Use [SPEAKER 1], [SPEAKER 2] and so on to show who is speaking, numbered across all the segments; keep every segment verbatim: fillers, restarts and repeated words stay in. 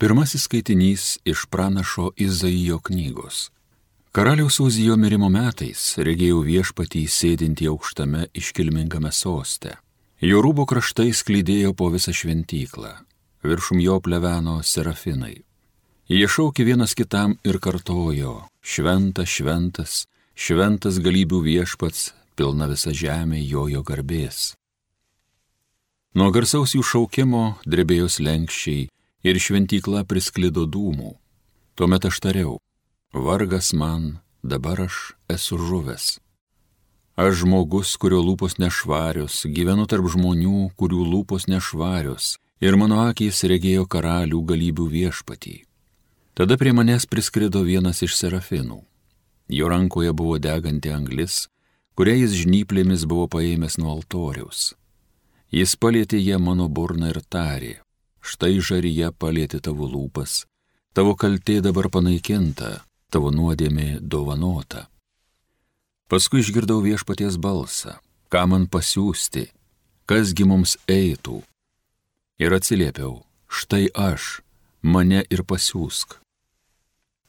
[SPEAKER 1] Pirmasis skaitinys iš pranašo Izaijo knygos. Karaliaus Uzijo mirimo metais regėjau viešpatį sėdintį aukštame iškilmingame soste. Jo rūbo kraštai sklydėjo po visą šventyklą, viršum jo pleveno serafinai. Jie šaukė vienas kitam ir kartojo: šventas, šventas, šventas galybių viešpats, pilna visa žemė jojo garbės. Nuo garsaus jų šaukimo drebėjo slenkščiai ir šventykla prisklido dūmų. Tuomet aš tariau: vargas man, dabar aš esu žuvęs. Aš žmogus, kurio lūpos nešvarios, gyvenu tarp žmonių, kurių lūpos nešvarios, ir mano akys regėjo karalių galybių viešpatį. Tada prie manęs priskrido vienas iš serafinų. Jo rankoje buvo deganti anglis, kurią jis žnyplėmis buvo paėmęs nuo altoriaus. Jis palietė ją mano burną ir tarė: štai žaryje palietė tavo lūpas, tavo kaltė dabar panaikinta, tavo nuodėmė dovanota. Paskui išgirdau viešpaties balsą: ką man pasiųsti, kasgi mums eitų? Ir atsiliepiau: štai aš, mane ir pasiųsk.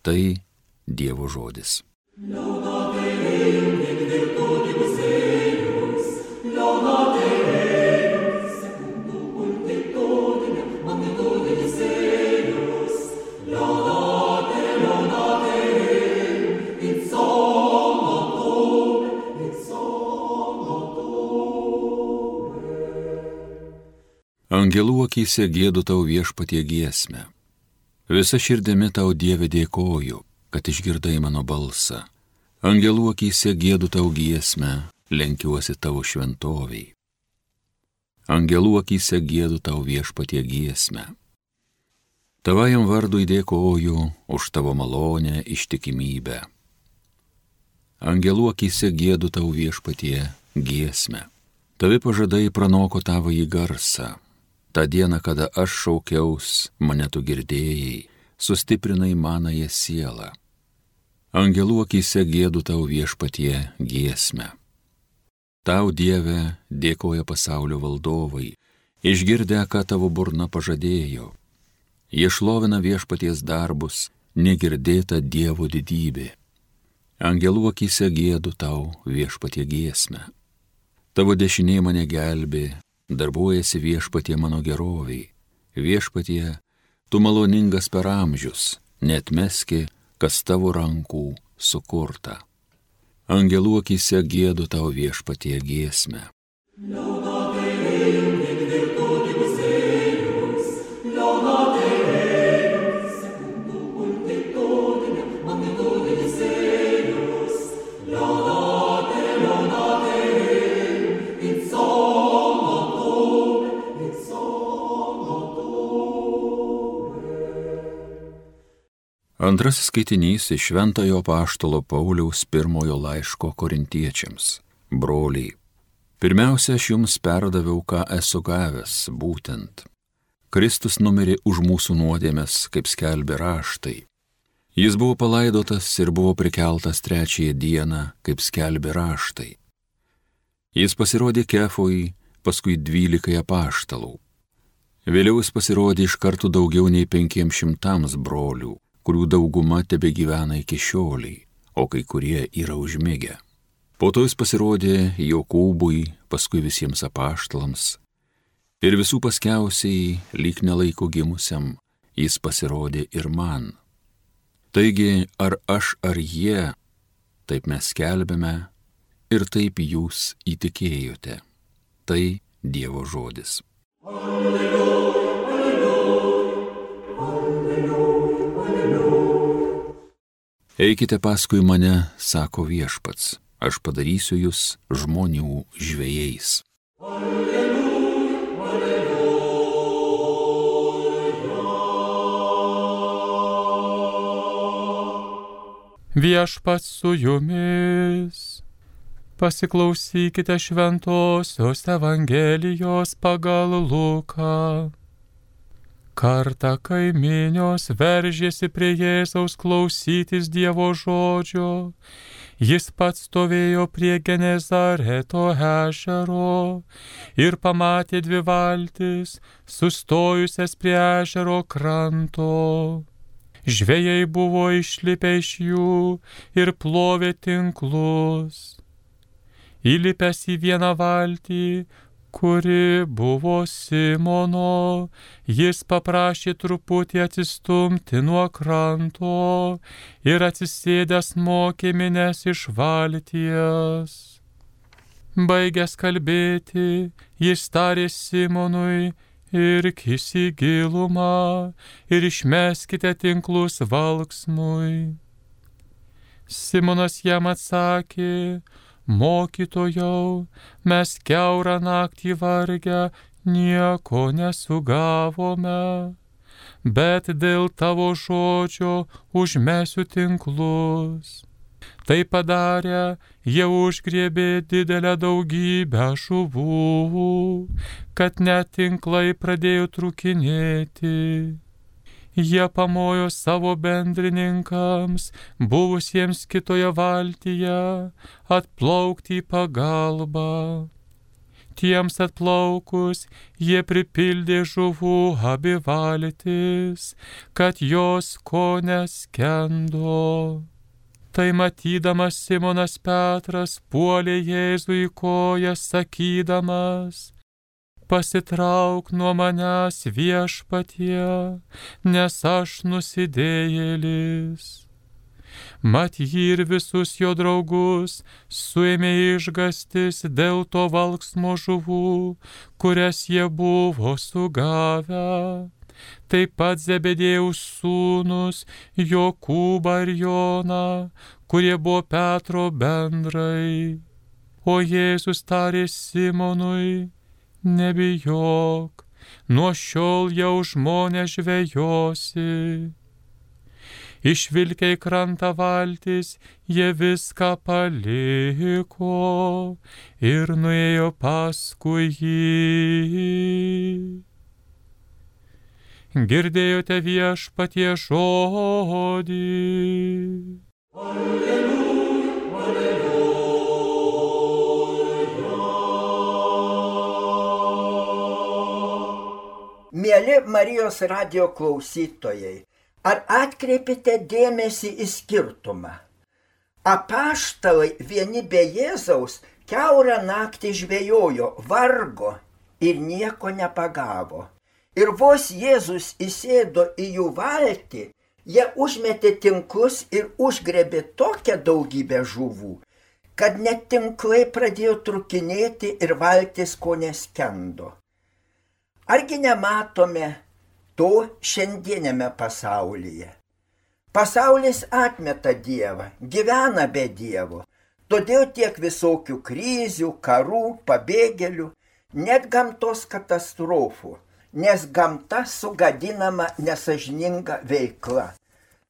[SPEAKER 1] Tai Dievo žodis. Angelų akyse giedu tau viešpatie giesmę. Visa širdimi tau, Dieve, dėkoju, kad išgirdai mano balsą. Angelų akyse giedu tau giesmę, lenkiuosi tavo šventoviai. Angelų akyse giedu tau viešpatie giesmę. Tavajam vardui dėkoju už tavo malonę, ištikimybę. Angelų akyse giedu tau viešpatie giesmę. Tavi pažadai pranoko tavąjį garsą. Ta diena, kada aš šaukiaus, mane tu girdėjai, sustiprinai manąją sielą. Angelų akyse giedu tau viešpatie giesmę. Tau, Dieve, dėkoja pasaulio valdovai, išgirdę, ką tavo burna pažadėjo. Jie šlovina viešpaties darbus, negirdėta Dievo didybė. Angelų akyse giedu tau viešpatie giesmę. Tavo dešinė mane gelbė, darbuojasi viešpatie mano geroviai. Viešpatie, tu maloningas per amžius, neatmeski, kas tavo rankų sukurta. Angelų akyse giedu tau viešpatie giesmę. Antrasis skaitinys iš Šventojo apaštalo Pauliaus pirmojo laiško korintiečiams. Broliai, pirmiausia, aš jums perdaviau, ką esu gavęs, būtent. Kristus numirė už mūsų nuodėmes, kaip skelbė raštai. Jis buvo palaidotas ir buvo prikeltas trečiąją dieną, kaip skelbė raštai. Jis pasirodė Kefui, paskui dvylikai apaštalų. Vėliau jis pasirodė iš karto daugiau nei penkiems šimtams brolių, kurių dauguma tebe gyvena iki šioliai, o kai kurie yra užmigę. Po to jis pasirodė Jokūbui, paskui visiems apaštalams, ir visų paskiausiai, lyg nelaiko gimusiam, jis pasirodė ir man. Taigi, ar aš, ar jie, taip mes skelbėme, ir taip jūs įtikėjote. Tai Dievo žodis. Alleluja. Eikite paskui mane, sako viešpats, aš padarysiu jūs žmonių žvejais. Alleluja,
[SPEAKER 2] alleluja. Viešpats su jumis. Pasiklausykite Šventosios Evangelijos pagal Luką. Kartą kai minios veržėsi prie Jėzaus klausytis Dievo žodžio, jis pats stovėjo prie Genezareto ežero ir pamatė dvi valtis, sustojusias prie ežero kranto. Žvejai buvo išlipę iš jų ir plovė tinklus. Įlipęs į vieną valtį, kuri buvo Simono, jis paprašė truputį atsistumti nuo kranto ir atsisėdęs mokė minias iš valties. Baigęs kalbėti, jis tarė Simonui: irkis į gilumą ir išmeskite tinklus valksmui. Simonas jam atsakė: mokytojau, mes kiaurą naktį vargę nieko nesugavome, bet dėl tavo žodžio užmesiu tinklus. Tai padarę, jie užgriebė didelę daugybę žuvų, kad net tinklai pradėjo trūkinėti. Jie pamojo savo bendrininkams, buvusiems kitoje valtyje, atplaukti į pagalbą. Tiems atplaukus jie pripildė žuvų abi valtis, kad jos ko neskendo. Tai matydamas Simonas Petras puolė Jėzui į koją, sakydamas: pasitrauk nuo manęs, Viešpatie, nes aš nusidėjėlis. Mat jį ir visus jo draugus suėmė išgąstis dėl to valksmo žuvų, kurias jie buvo sugavę. Taip pat Zebedėjaus sūnus Jokūbą ir Joną, kurie buvo Petro bendrai. O Jėzus tarė Simonui: nebijok, nuo šiol jau žmonės žvejosi. Išvilkę į krantą valtis, jie viską paliko ir nuėjo paskui jį. Girdėjote Viešpatie žodį.
[SPEAKER 3] Mieli Marijos radijo klausytojai, ar atkreipite dėmesį į skirtumą? Apaštalai vieni be Jėzaus kiaurą naktį žvejojo, vargo ir nieko nepagavo. Ir vos Jėzus įsėdo į jų valtį, jie užmetė tinklus ir užgrebė tokią daugybę žuvų, kad net tinklai pradėjo trūkinėti ir valtis ko neskendo. Argi nematome to šiandienėme pasaulyje? Pasaulis atmeta Dievą, gyvena be Dievo, todėl tiek visokių krizių, karų, pabėgėlių, net gamtos katastrofų, nes gamta sugadinama nesažininga veikla.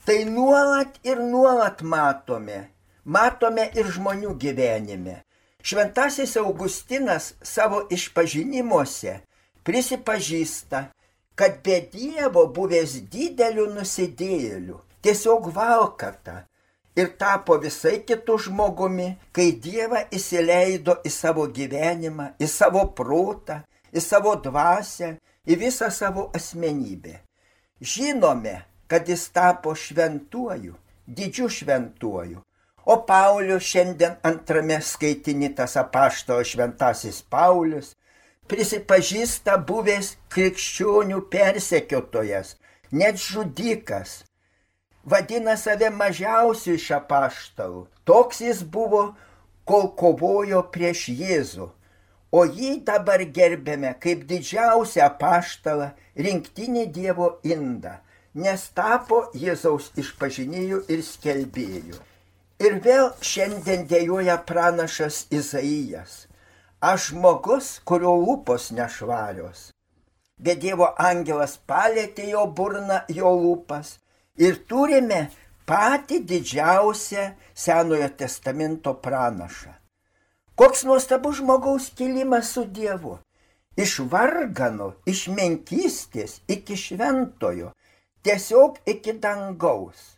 [SPEAKER 3] Tai nuolat ir nuolat matome, matome ir žmonių gyvenime. Šventasis Augustinas savo išpažinimuose prisipažįsta, kad be Dievo buvęs dideliu nusidėjėliu, tiesiog valkata, ir tapo visai kitų žmogumi, kai Dievą įsileido į savo gyvenimą, į savo protą, į savo dvasią, į visą savo asmenybę. Žinome, kad jis tapo šventuoju, didžiu šventuoju. O Paulius šiandien antrame skaitiny, tas apaštalas šventasis Paulius, prisipažįsta buvęs krikščionių persekiotojas, net žudikas. Vadina save mažiausiu iš apaštalų. Toks jis buvo, kol kovojo prieš Jėzų. O jį dabar gerbėme kaip didžiausią apaštalą, rinktinį Dievo indą, nes tapo Jėzaus išpažinėju ir skelbėju. Ir vėl šiandien dejuoja pranašas Izaijas. Aš žmogus, kurio lūpos nešvarios. Bet Dievo angelas palėtė jo burną, jo lūpas. Ir turime patį didžiausią Senojo testamento pranašą. Koks nuostabus žmogaus kilimas su Dievu. iš vargano, iš menkystės iki šventojo, tiesiog iki dangaus.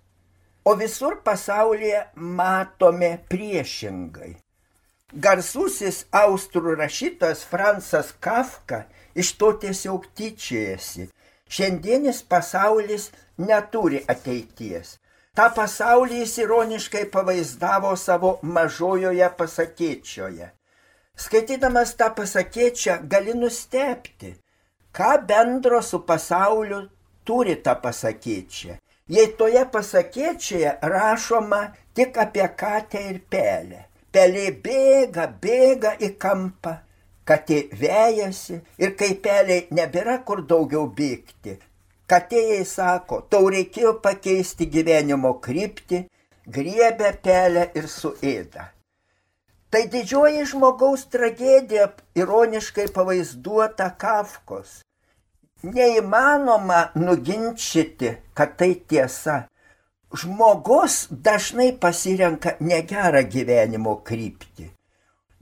[SPEAKER 3] O visur pasaulyje matome priešingai. Garsusis austrų rašytojas Francas Kafka iš to tiesiog tyčiojasi. Šiandienis pasaulis neturi ateities. Ta pasaulį jis ironiškai pavaizdavo savo mažojoje pasakėčioje. Skaitydamas tą pasakėčią gali nustebti, ką bendro su pasauliu turi ta pasakėčia. Jei toje pasakėčioje rašoma tik apie katę ir pelę. Pelė bėga, bėga į kampą, katė vejasi ir kai peliai nebėra kur daugiau bėgti, katė jai sako, tau reikėjo pakeisti gyvenimo kryptį, griebia pelę ir suėda. Tai didžioji žmogaus tragedija ironiškai pavaizduota Kafkos. Neįmanoma nuginčyti, kad tai tiesa. Žmogus dažnai pasirenka negerą gyvenimo kryptį.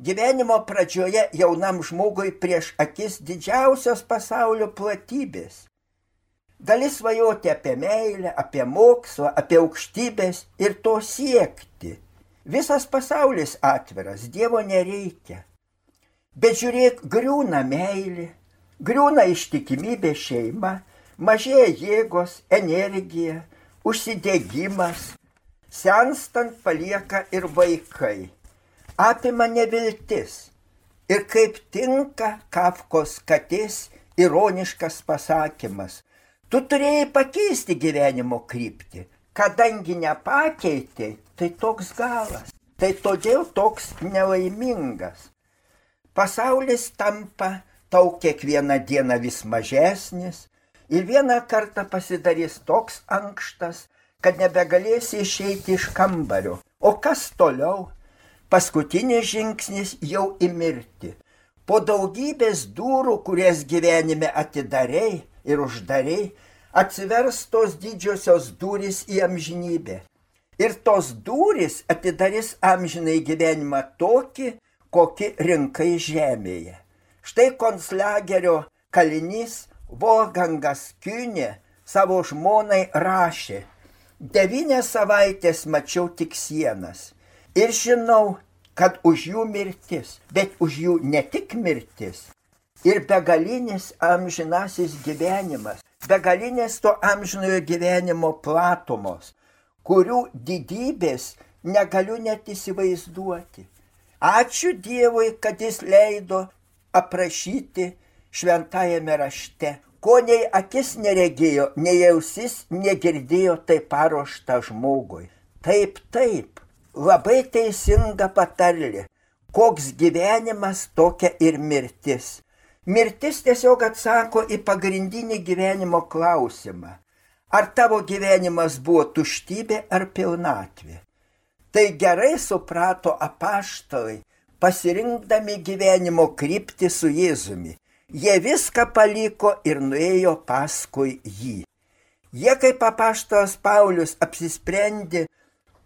[SPEAKER 3] Gyvenimo pradžioje jaunam žmogui prieš akis didžiausios pasaulio platybės. Gali svajoti apie meilę, apie mokslą, apie aukštybės ir to siekti. Visas pasaulis atviras, Dievo nereikia. Bet žiūrėk, griūna meilė, griūna ištikimybė šeima, mažėja jėgos, energija, užsidegimas, senstant palieka ir vaikai. Apima neviltis. Ir kaip tinka Kafkos katės ironiškas pasakymas. Tu turėjai pakeisti gyvenimo kryptį. Kadangi nepakeitei, tai toks galas. Tai todėl toks nelaimingas. Pasaulis tampa tau kiekvieną dieną vis mažesnis ir vieną kartą pasidarys toks ankštas, kad nebegalėsi išeiti iš kambario. O kas toliau? Paskutinis žingsnis jau į mirtį. Po daugybės durų, kurias gyvenime atidarei ir uždarei, atsivers tos didžiosios durys į amžinybę. Ir tos durys atidarys amžinai gyvenimą tokį, kokį rinkai žemėje. Štai konclagerio kalinys Wolfgangas Kühne savo žmonai rašė: devynias savaitės mačiau tik sienas ir žinau, kad už jų mirtis, bet už jų ne tik mirtis, ir begalinis amžinasis gyvenimas, begalinės to amžinojo gyvenimo platumos, kurių didybės negaliu net įsivaizduoti. Ačiū Dievui, kad jis leido aprašyti šventajame rašte, ko nei akis neregėjo, nei ausis negirdėjo, tai paruošta žmogui. Taip, taip, labai teisinga patarlė, koks gyvenimas, tokia ir mirtis. Mirtis tiesiog atsako į pagrindinį gyvenimo klausimą. Ar tavo gyvenimas buvo tuštybė ar pilnatvė? Tai gerai suprato apaštalai, pasirinkdami gyvenimo kryptį su Jėzumi. Jie viską paliko ir nuėjo paskui jį. Jie kaip apaštalas Paulius apsisprendė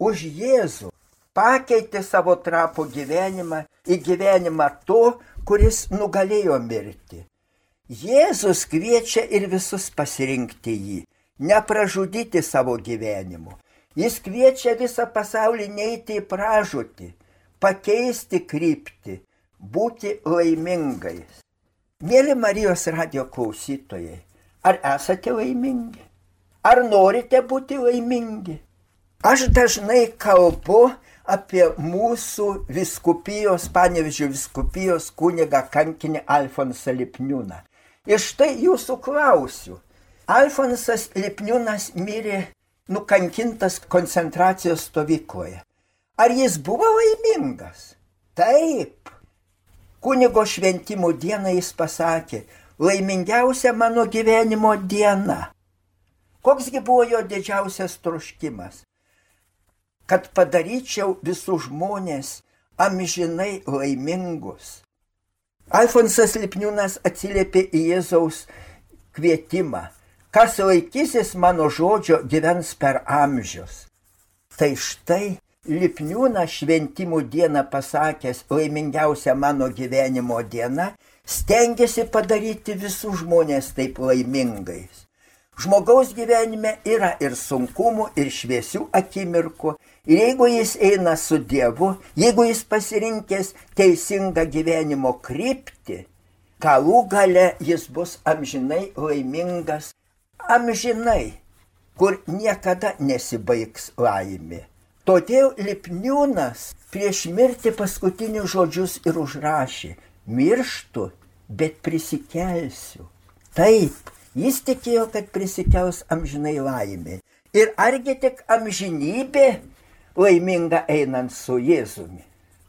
[SPEAKER 3] už Jėzų, pakeitė savo trapų gyvenimą į gyvenimą to, kuris nugalėjo mirtį. Jėzus kviečia ir visus pasirinkti jį, nepražudyti savo gyvenimu. Jis kviečia visą pasaulį neiti į pražūtį, pakeisti kryptį, būti laimingais. Mėly Marijos radijo klausytojai, ar esate laimingi? Ar norite būti laimingi? Aš dažnai kalbu apie mūsų vyskupijos, Panevėžio vyskupijos kunigą kankinį Alfonsą Lipniūną. Ir štai jūsų klausiu. Alfonsas Lipniūnas mirė nukankintas koncentracijos stovykloje. Ar jis buvo laimingas? Taip. Kunigo šventimo dieną jis pasakė: laimingiausia mano gyvenimo diena. Koksgi buvo jo didžiausias troškimas? Kad padaryčiau visus žmonės amžinai laimingus. Alfonsas Lipniūnas atsiliepė į Jėzaus kvietimą: kas laikysis mano žodžio, gyvens per amžius. Tai štai Lipniūnas šventimų dieną pasakęs laimingiausia mano gyvenimo diena, stengiasi padaryti visus žmonės taip laimingais. Žmogaus gyvenime yra ir sunkumų, ir šviesių akimirkų. Ir jeigu jis eina su Dievu, jeigu jis pasirinkęs teisingą gyvenimo kryptį, galų gale jis bus amžinai laimingas, amžinai, kur niekada nesibaigs laimė. Todėl Lipniūnas prieš mirtį paskutinius žodžius ir užrašė: mirštu, bet prisikelsiu. Taip, jis tikėjo, kad prisikels amžinai laimė. Ir argi tik amžinybė laiminga einant su Jėzumi.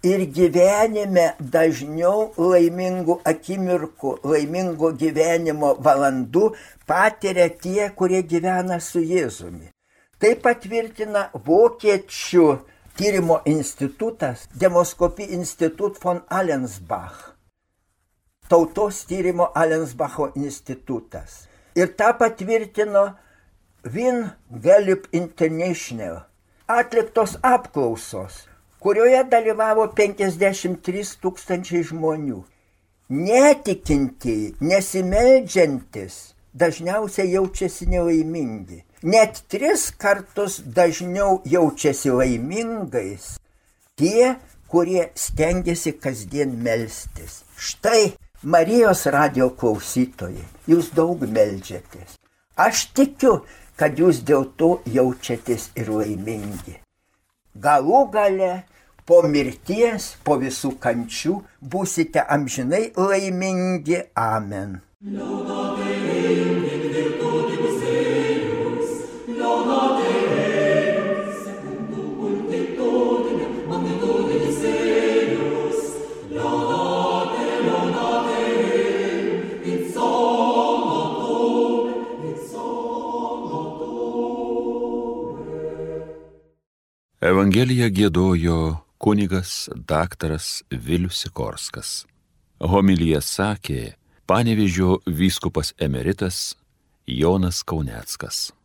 [SPEAKER 3] Ir gyvenime dažniau laimingų akimirkų, laimingo gyvenimo valandų patiria tie, kurie gyvena su Jėzumi. Tai patvirtina vokiečių tyrimo institutas, Demoskopie Institut von Allensbach. Tautos tyrimo Allensbacho institutas. Ir tą patvirtino Wien Gallup International atliktos apklausos, kurioje dalyvavo penkiasdešimt trys tūkstančiai žmonių. Netikintieji, nesimeldžiantis, dažniausiai jaučiasi nelaimingi. Net tris kartus dažniau jaučiasi laimingais tie, kurie stengiasi kasdien melstis. Štai, Marijos radijo klausytojai, jūs daug meldžiatės. Aš tikiu, kad jūs dėl to jaučiatės ir laimingi. Galų gale, po mirties, po visų kančių, būsite amžinai laimingi. Amen.
[SPEAKER 1] Evangeliją giedojo kunigas daktaras Vilius Sikorskas. Homiliją sakė Panevėžio vyskupas emeritas Jonas Kauneckas.